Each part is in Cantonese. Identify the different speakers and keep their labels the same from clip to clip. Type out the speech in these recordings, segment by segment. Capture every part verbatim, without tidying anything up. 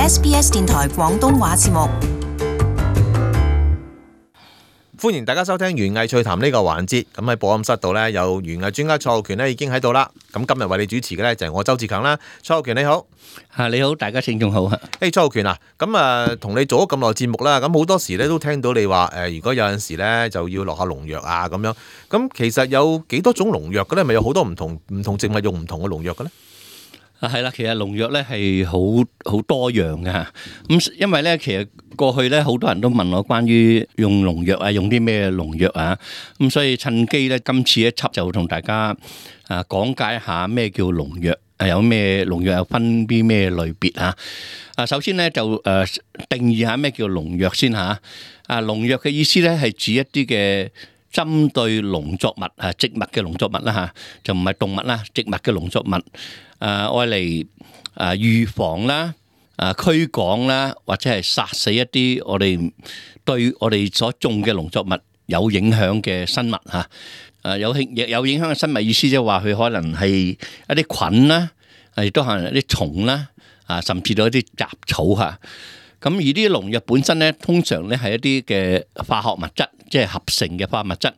Speaker 1: S B S 電台廣東話節目。
Speaker 2: 歡迎大家收聽園藝趣談呢個環節。咁喺播音室度呢，有園藝專家蔡浩權呢已經喺度啦。咁今日為你主持嘅呢，就係我周志強啦。蔡浩權你好。
Speaker 3: 啊，你好，大家聽眾好。誒，
Speaker 2: hey, 蔡浩權啊，咁啊同你做咗咁耐節目啦，咁好多時咧都聽到你話誒、呃，如果有陣時咧就要落下農藥啊咁樣。咁其實有幾多種農藥嘅咧？咪有好多唔同唔同植物用唔同嘅農藥嘅咧？
Speaker 3: 啊，係啦，其實農藥咧係好好多樣嘅嚇。咁因為咧，其實過去咧好多人都問我關於用農藥啊，用啲咩農藥啊。咁所以趁機咧，今次一輯就同大家啊講解下咩叫農藥，誒有咩農藥有分啲咩類別啊。啊，首先咧就誒定義下咩叫農藥先嚇。啊，農藥嘅意思咧係指一啲嘅針對農作物啊，植物嘅農作物啦嚇，就唔係動物啦，植物嘅農作物。誒愛嚟誒預防啦、誒驅趕啦，或者係殺死一啲我哋對我哋所種嘅農作物有影響嘅生物嚇。誒有影有影響嘅生物意思即係話佢可能係一啲菌啦，亦都可能一啲蟲啦，啊甚至到一啲雜草嚇。咁而啲農藥本身咧，通常咧係一啲嘅化學物質，即係合成嘅化學物質，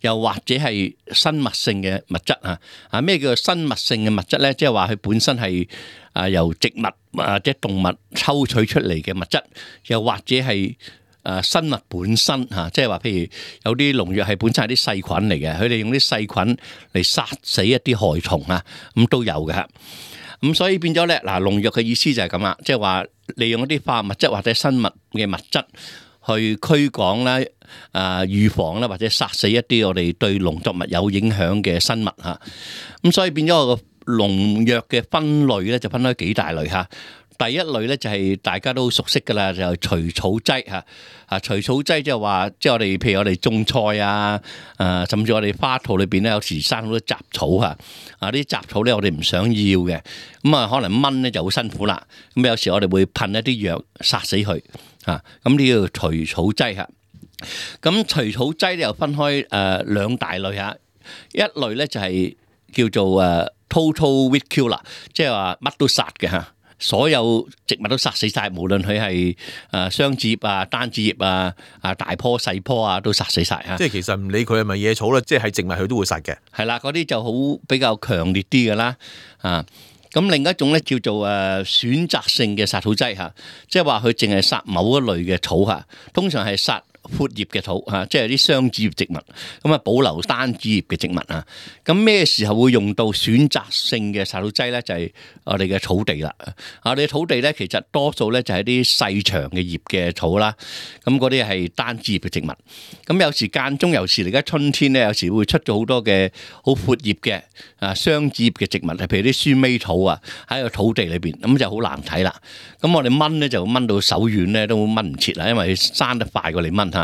Speaker 3: 又或者係生物性嘅物質啊。啊，咩叫做生物性嘅物質咧？即係話佢本身係啊由植物或者動物抽取出嚟嘅物質，又或者係啊生物本身嚇，即係話譬如有啲農藥係本身係啲細菌嚟嘅，佢哋用啲細菌嚟殺死一啲害蟲啊，咁都有嘅。咁所以變咗咧，嗱農藥嘅意思就係咁啦，即係話利用一啲化學物質或者生物嘅物質去驅趕啦、啊預防啦，或者殺死一啲我哋對農作物有影響嘅生物嚇。咁所以變咗個農藥嘅分類咧，就分開幾大類嚇。第一類咧就係大家都熟悉噶啦，就係除草劑嚇。啊，除草劑即係話，即係我哋譬如我哋種菜啊，誒，甚至我哋花圃裏邊咧，有時生好多雜草嚇。啊，啲雜草咧我哋唔想要嘅，咁啊可能掹咧就好辛苦啦。咁有時我哋會噴一啲藥殺死佢嚇。咁呢個除草劑嚇。咁除草劑咧又分開誒兩大類嚇。一類咧就係叫做誒 total weed killer，即係話乜都殺嘅嚇。所有植物都殺死晒，無論佢係誒雙子葉啊、單子葉啊、啊大棵細棵啊，都殺死晒嚇。
Speaker 2: 即係其實唔理佢係咪野草啦，即係係植物佢都會殺嘅。
Speaker 3: 係啦，嗰啲就好比較強烈啲嘅啦。啊，咁另一種咧叫做誒選擇性嘅殺草劑嚇，即係話佢淨係殺某一類嘅草嚇，通常係殺闊葉嘅草嚇，即係啲雙子葉植物，咁啊保留單子葉嘅植物啊。咁咩時候會用到選擇性嘅殺草劑咧？就係我哋嘅草地啦。我哋嘅草地咧，其實多數咧就係啲細長嘅葉嘅草啦。咁嗰啲係單子葉嘅植物。咁有時間中，有時而家春天咧，有時會出咗好多嘅好闊葉嘅啊雙子葉嘅植物，譬如啲鼠尾草啊，喺個土地裏邊，咁就好難睇啦。咁我哋掹咧就掹到手軟咧，都掹唔切啦，因為佢生得快過你掹。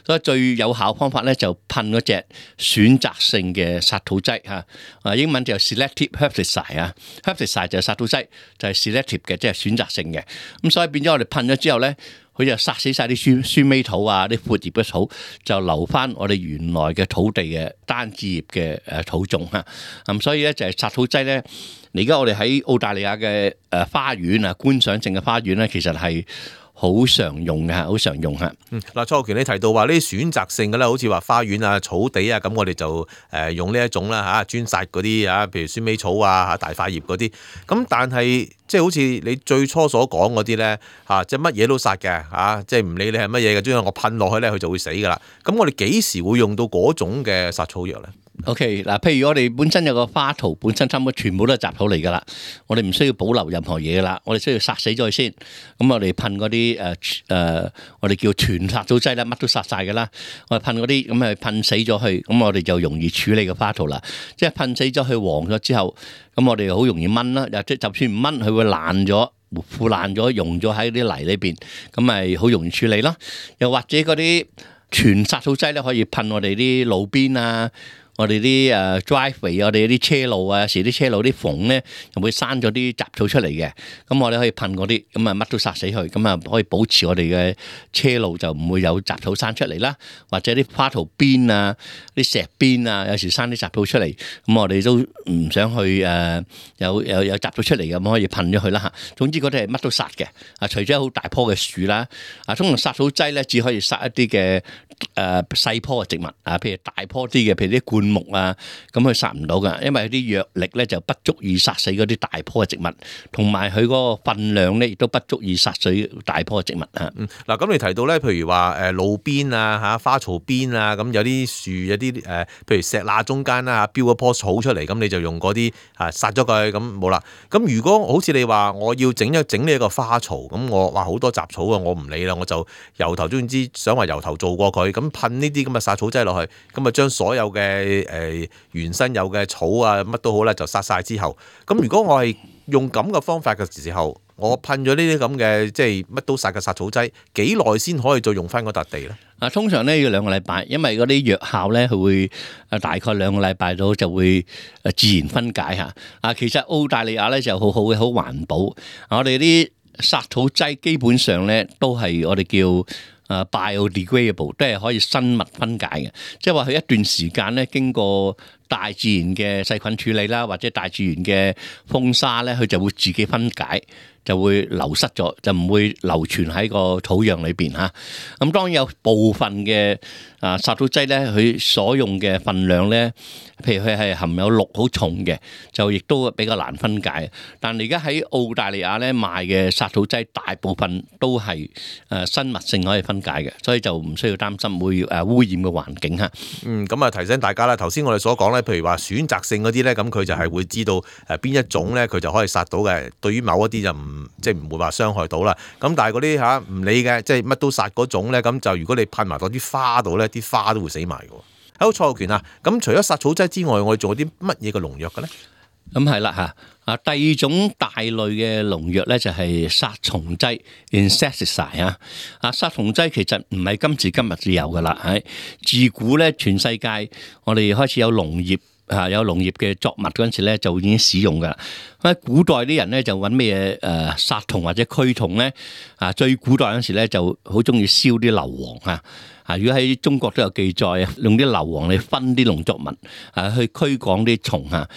Speaker 3: 所以最有效方法咧就噴嗰隻選擇性嘅殺草劑嚇，啊英文就 selective herbicide 啊 ，herbicide 就係殺草劑，就係 selective 嘅，即係選擇性嘅。咁所以變咗我哋噴咗之後咧，佢就殺死晒啲鼠鼠尾草啊，啲闊葉嘅草，就留翻我哋原來嘅土地嘅單子葉嘅誒草種嚇。咁所以咧就係殺草劑咧，而家我哋喺澳大利亞嘅誒花園啊，觀賞性嘅花園咧，其實係好常用嘅，好常用嚇。
Speaker 2: 嗯，嗱，蔡浩權你提到話呢啲選擇性嘅咧，好似話花園啊、草地啊，咁我哋就誒用呢一種啦嚇，專殺嗰啲啊，譬如鼠尾草啊、嚇大塊葉嗰啲。咁但係即係好似你最初所講嗰啲咧嚇，即係乜嘢都殺嘅嚇，即係唔理你係乜嘢嘅，總之我噴落去咧，佢就會死噶啦。咁我哋幾時會用到嗰種嘅殺草藥咧？OK
Speaker 3: 嗱，譬如我哋本身有個花圃，本身差唔多全部都係雜草嚟噶啦，我哋唔需要保留任何嘢噶啦，我哋需要殺死咗佢先。咁我哋噴嗰啲誒誒，我哋叫全殺草劑啦，乜都殺晒噶啦。我哋噴嗰啲咁係噴死咗佢，咁我哋就容易處理個花圃啦。即係噴死咗佢黃咗之後，咁我哋好容易掹啦。又即就算唔掹，佢會爛咗、腐爛咗、溶咗喺啲泥裏邊，咁咪好容易處理咯。又或者嗰啲全殺草劑咧，可以噴我哋啲路邊啊。我哋啲誒 driveway，我哋啲車路啊，有時啲車路啲縫咧又會生咗啲雜草出嚟嘅，咁我哋可以噴嗰啲，咁啊乜都殺死佢，咁啊可以保持我哋嘅車路就唔會有雜草生出嚟啦，或者啲花槽邊啊、啲石邊啊，有時生啲雜草出嚟，咁我哋都唔想去誒有有有雜草出嚟嘅，咁可以噴咗佢啦嚇。總之嗰啲係乜都殺嘅，啊除咗好大棵嘅樹啦，啊通常殺草劑咧只可以殺一啲嘅誒細棵嘅植物啊，譬如大棵啲嘅，譬如啲灌木啊，咁佢殺唔到噶，因為啲藥力咧就不足以殺死嗰啲大棵嘅植物，同埋佢嗰個分量咧亦都不足以殺死大棵嘅植物嚇。
Speaker 2: 嗯，嗱咁你提到咧，譬如話誒路邊啊嚇花槽邊啊，咁有啲樹有啲誒，譬如石罅中間啦嚇，標一棵草出嚟，咁你就用嗰啲啊殺咗佢，咁冇啦。咁如果好似你話我要整一整呢一個花槽，咁我話好多雜草啊，我唔理啦，我就由頭總之想話由頭做過佢，咁噴呢啲咁嘅殺草劑落去，咁啊將所有嘅誒、呃、原生有嘅草啊乜都好啦，就殺晒之後，咁如果我係用咁嘅方法嘅時候，我噴咗呢啲咁嘅即係乜都殺嘅殺草劑，幾耐先可以再用翻嗰笪地咧？啊，
Speaker 3: 通常咧要兩個禮拜，因為嗰啲藥效咧佢會誒大概兩個禮拜到就會誒自然分解嚇。啊，其實澳大利亞咧就好好嘅，好環保。我哋啲殺草劑基本上咧都係我哋叫誒 biodegradable，都係可以生物分解嘅，即係話佢一段時間咧經過大自然嘅細菌處理啦，或者大自然嘅風沙咧，佢就會自己分解，就會流失咗，就唔會流傳喺個土壤裏邊嚇。咁當然有部分嘅啊殺草劑咧，佢所用嘅份量咧，譬如佢係含有氯好重嘅，就亦都比較難分解。但係而家喺澳大利亞咧賣嘅殺草劑，大部分都係誒生物性可以分解嘅，所以就唔需要擔心會誒污染嘅環境嚇。
Speaker 2: 嗯，咁啊提醒大家啦，頭先我哋所講咧，譬如話選擇性嗰啲咧，咁佢就係會知道誒邊一種咧，佢就可以殺到嘅。對於某一啲就唔即係唔會話傷害到啦。咁但係嗰啲嚇唔理嘅，即係乜都殺嗰種咧，咁就如果你噴埋到啲花度咧，啲花都會死埋嘅。好，蔡浩權啊，咁除咗殺草劑之外，我哋仲有啲乜嘢嘅農藥嘅咧？
Speaker 3: 咁係啦嚇，啊第二種大類嘅農藥咧就係殺蟲劑 insecticide 啊，啊殺蟲劑其實唔係今時今日至有噶啦，係自古咧全世界我哋開始有農業嚇，有農業嘅作物嗰陣時咧就已經使用噶啦。喺古代啲人咧就揾咩嘢誒殺蟲或者驅蟲咧？啊最古代嗰陣時咧就好中意燒啲硫磺啊。啊！如果喺中國都有記載啊，用啲硫磺嚟熏啲農作物，啊去驅趕啲蟲啊。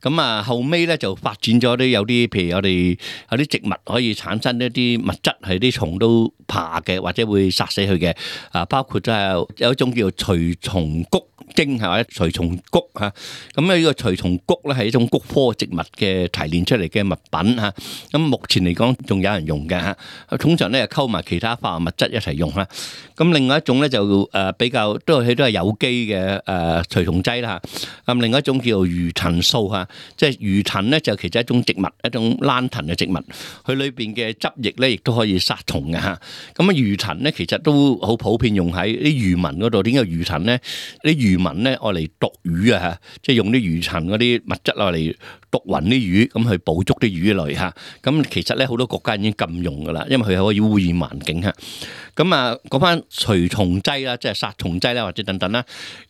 Speaker 3: 咁啊後尾咧就發展咗啲有啲，譬如我哋有啲植物可以產生一啲物質係啲蟲都怕嘅，或者會殺死佢嘅。啊，包括就係有一種叫做除蟲菊精係或者除蟲菊嚇。咁啊呢個除蟲菊咧係一種菊科植物嘅提煉出嚟嘅物品嚇。咁目前嚟講仲有人用嘅嚇。通常咧溝埋其他化學物質一齊用啦。咁另外一種咧就誒比較都係都係有機嘅誒除蟲劑啦嚇。咁另外一種叫做魚藤素嚇，即係魚藤咧就其實一種植物，一種蘭藤嘅植物，佢裏邊嘅汁液咧亦都可以殺蟲嘅嚇。咁啊魚藤咧其實都好普遍用喺啲漁民嗰度。點解魚藤咧？啲漁民咧愛嚟毒魚啊嚇，即係用啲魚藤嗰啲物質愛嚟毒暈啲魚，咁去捕捉啲魚類嚇。咁其實咧好多國家已經禁用噶啦，因為佢係可以污染環境嚇。咁啊講翻除蟲劑啦，即係殺蟲劑啦，或者等等啦。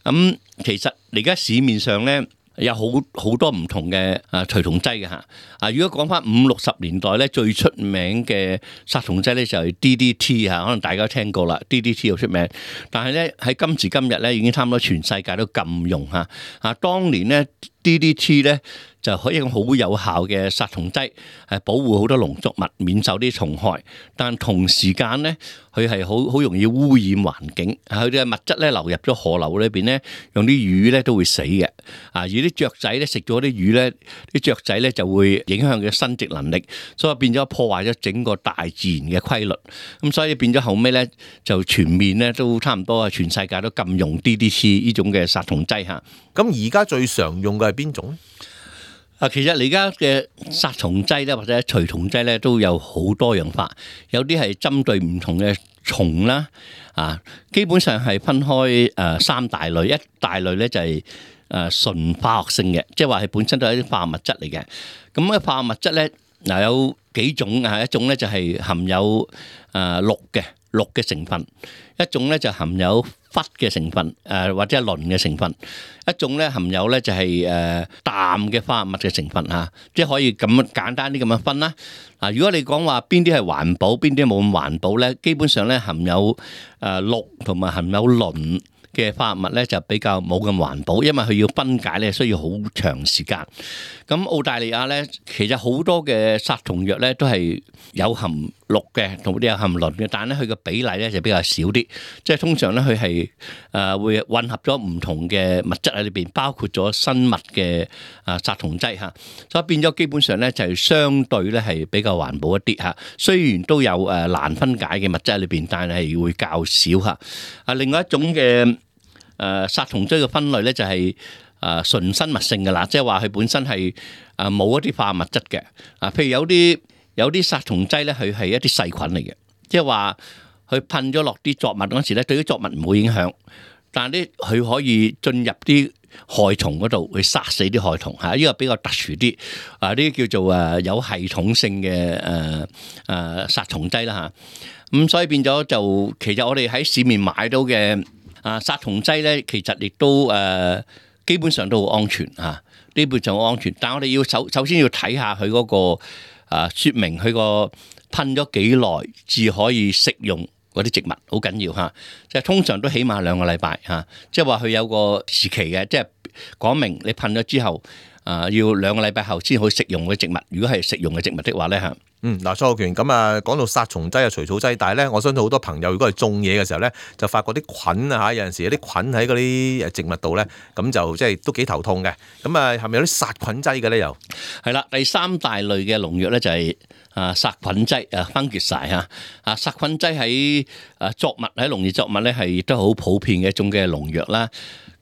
Speaker 3: 咁其實而家市面上咧有好好多唔同嘅啊除蟲劑嘅嚇。啊，如果講翻五六十年代咧，最出名嘅殺蟲劑咧就係 D D T 嚇，可能大家都聽過啦。D D T 好出名，但係咧喺今時今日咧已經差唔多全世界都禁用嚇。啊，當年咧 D D T 咧就可以用好有效嘅殺蟲劑，係保護好多農作物免受啲蟲害。但同時間咧，佢係好好容易污染環境。佢嘅物質咧流入咗河流裏邊咧，讓啲魚咧都會死嘅。啊，而啲雀仔咧食咗啲魚咧，啲雀仔咧就會影響佢嘅生殖能力，所以變咗破壞咗整個大自然嘅規律。咁所以變咗後尾咧就全面咧都差唔多，全世界都禁用 D D T 呢種嘅殺蟲劑嚇。
Speaker 2: 咁而家最常用嘅係邊種咧？
Speaker 3: 啊，其實而家嘅殺蟲劑咧，或者除蟲劑咧，都有好多樣化。有啲係針對唔同嘅蟲啦，啊，基本上係分開誒三大類。一大類咧就係誒純化學性嘅，即係話係本身都係一啲化學物質嚟嘅。咁嘅化學物質咧，嗱有幾種啊？一種咧就係含有誒氯嘅。氯嘅成分，一種咧就含有氟嘅成分，誒、呃、或者係磷嘅成分，一種咧含有咧就係、是、誒、呃、氮嘅化合物嘅成分嚇、啊，即係可以咁樣簡單啲咁樣分啦。啊，如果你講話邊啲係環保，邊啲冇咁環保咧，基本上咧含有誒氯同埋含有磷嘅化合物咧就比較冇咁環保，因為佢要分解咧需要好長時間。咁澳大利亞咧其實好多嘅殺蟲藥咧都係有含氯嘅，同啲有含磷嘅，但係咧佢嘅比例咧就比較少啲。即係通常咧佢係誒會混合咗唔同嘅物質喺裏邊，包括咗生物嘅啊殺蟲劑嚇，所以變咗基本上咧就係相對咧係比較環保一啲嚇。雖然都有誒難分解嘅物質喺裏邊，但係會較少嚇。啊，另外一種嘅誒殺蟲劑嘅分類咧就係誒純生物性嘅啦，即係話佢本身係誒冇一啲化學物質嘅啊，譬如有啲有啲殺蟲劑咧，佢係一啲細菌嚟嘅，即係話佢噴咗落啲作物嗰時咧，對啲作物唔會影響，但係咧佢可以進入啲害蟲嗰度去殺死啲害蟲嚇，呢個比較特殊啲啊，呢啲叫做誒有系統性嘅誒誒殺蟲劑啦嚇，咁所以變咗就其實我哋喺市面買到嘅啊殺蟲劑咧，其實亦都誒基本上都好安全嚇，基本上好安全，但係我哋要首首先要睇下佢嗰個啊説明佢個噴咗幾耐至可以食用嗰啲植物，好緊要嚇。即係通常都起碼兩個禮拜嚇，即係話佢有個時期嘅，即係講明你噴咗之後啊，要兩個禮拜後先可以食用嘅植物。如果係食用嘅植物的話咧嚇。
Speaker 2: 嗯，嗱，蔡浩權咁啊，講到殺蟲劑啊、除草劑，但係咧，我相信好多朋友如果係種嘢嘅時候咧，就發覺啲菌啊嚇，有陣時有啲菌喺嗰啲誒植物度咧，咁就即係都幾頭痛嘅。咁啊，係咪有啲殺菌劑嘅咧？又
Speaker 3: 係啦，第三大類嘅農藥咧就係啊殺菌劑啊，fungicide嚇啊，殺菌劑喺啊作物喺農業作物咧係亦都好普遍嘅一種嘅農藥啦。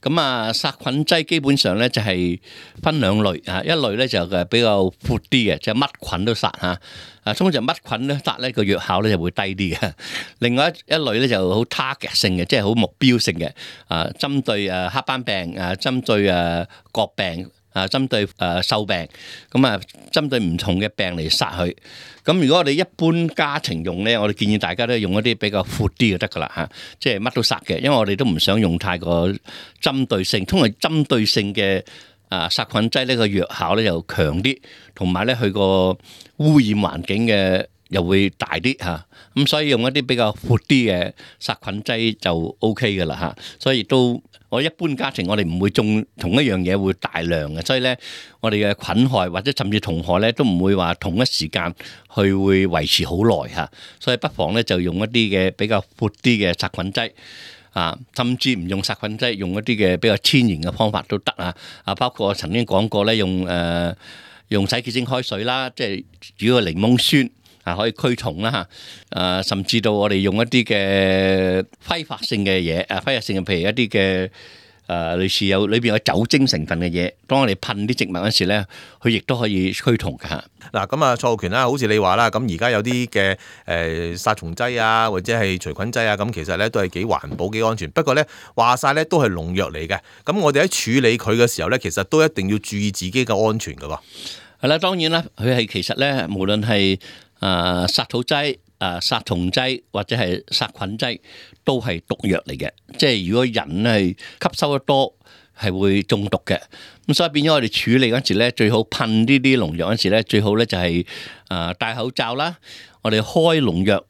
Speaker 3: 咁啊，殺菌劑基本上咧就係分兩類啊，一類咧就係比較闊啲嘅，就乜菌都殺嚇。啊，通常乜菌咧殺咧個藥效咧就會低啲嘅。另外一一類咧就好 target 性嘅，即係好目標性嘅。啊，針對誒黑斑病，啊針對誒角病，啊針對誒銹病，咁啊針對唔同嘅病嚟殺佢。咁如果我哋一般家庭用咧，我哋建議大家都用一啲比較闊啲就得噶啦嚇，即係乜都殺嘅，因為我哋都唔想用太過針對性。通常針對性嘅啊殺菌劑呢個藥效咧又強啲，同埋咧佢個污染環境嘅又會大啲嚇，咁所以用一啲比較闊啲嘅殺菌劑就 O K 嘅啦嚇，所以亦都我一般家庭我哋唔會種同一樣嘢會大量嘅，所以咧我哋嘅菌害或者甚至蟲害咧都唔會話同一時間去會維持好耐嚇，所以不妨咧就用一啲嘅比較闊啲嘅殺菌劑。啊，甚至唔用殺菌劑，用一啲嘅比較天然嘅方法都得啊！啊，包括我曾經講過咧，用誒、呃、用洗潔精開水啦，即係主要檸檬酸啊，可以驅蟲啦嚇。啊，甚至到我哋用一啲嘅揮發性嘅嘢，啊揮發性嘅譬如一啲嘅誒類似有裏邊有酒精成分嘅嘢，當我哋噴啲植物嗰時咧，佢亦都可以驅蟲㗎嚇。
Speaker 2: 嗱，咁啊，蔡浩權啦，好似你話啦，咁而家有啲嘅誒殺蟲劑啊，或者係除菌劑啊，咁其實咧都係幾環保、幾安全。不過咧話晒咧都係農藥嚟嘅，咁我哋喺處理佢嘅時候咧，其實都一定要注意自己嘅安全㗎喎。係
Speaker 3: 啦，當然啦，佢係其實咧，無論係誒殺草劑、誒殺蟲劑或者係殺菌劑，都係毒藥嚟嘅。即係如果人係吸收得多，係會中毒嘅。咁所以變咗我哋處理嗰時咧，最好噴呢啲農藥嗰時咧，最好咧就係誒戴口罩啦。我哋開農藥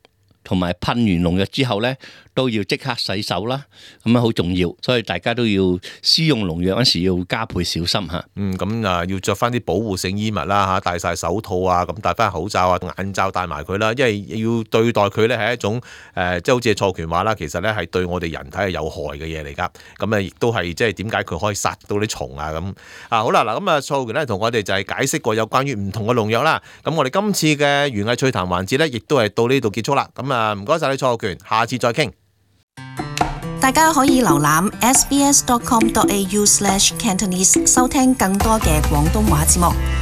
Speaker 3: 同埋噴完農藥之後咧，都要即刻洗手啦。咁樣好重要，所以大家都要施用農藥嗰時要加倍小心嚇。
Speaker 2: 嗯，咁啊要着翻啲保護性衣物啦嚇，戴晒手套啊，咁戴翻口罩啊、眼罩戴埋佢啦，因為要對待佢咧係一種誒、呃，即係好似蔡浩權話啦，其實咧係對我哋人體係有害嘅嘢嚟㗎。咁啊，亦都係即係點解佢可以殺到啲蟲啊咁啊？好啦，嗱咁啊，蔡浩權咧同我哋就係解釋過有關於唔同嘅農藥啦。咁我哋今次嘅園藝趣談環節咧，亦都係到呢度結束啦。咁啊，唔該晒你蔡浩權，下次再傾。
Speaker 1: 大家可以瀏覽 s b s dot com dot a u slash cantonese 收聽更多嘅廣東話節目。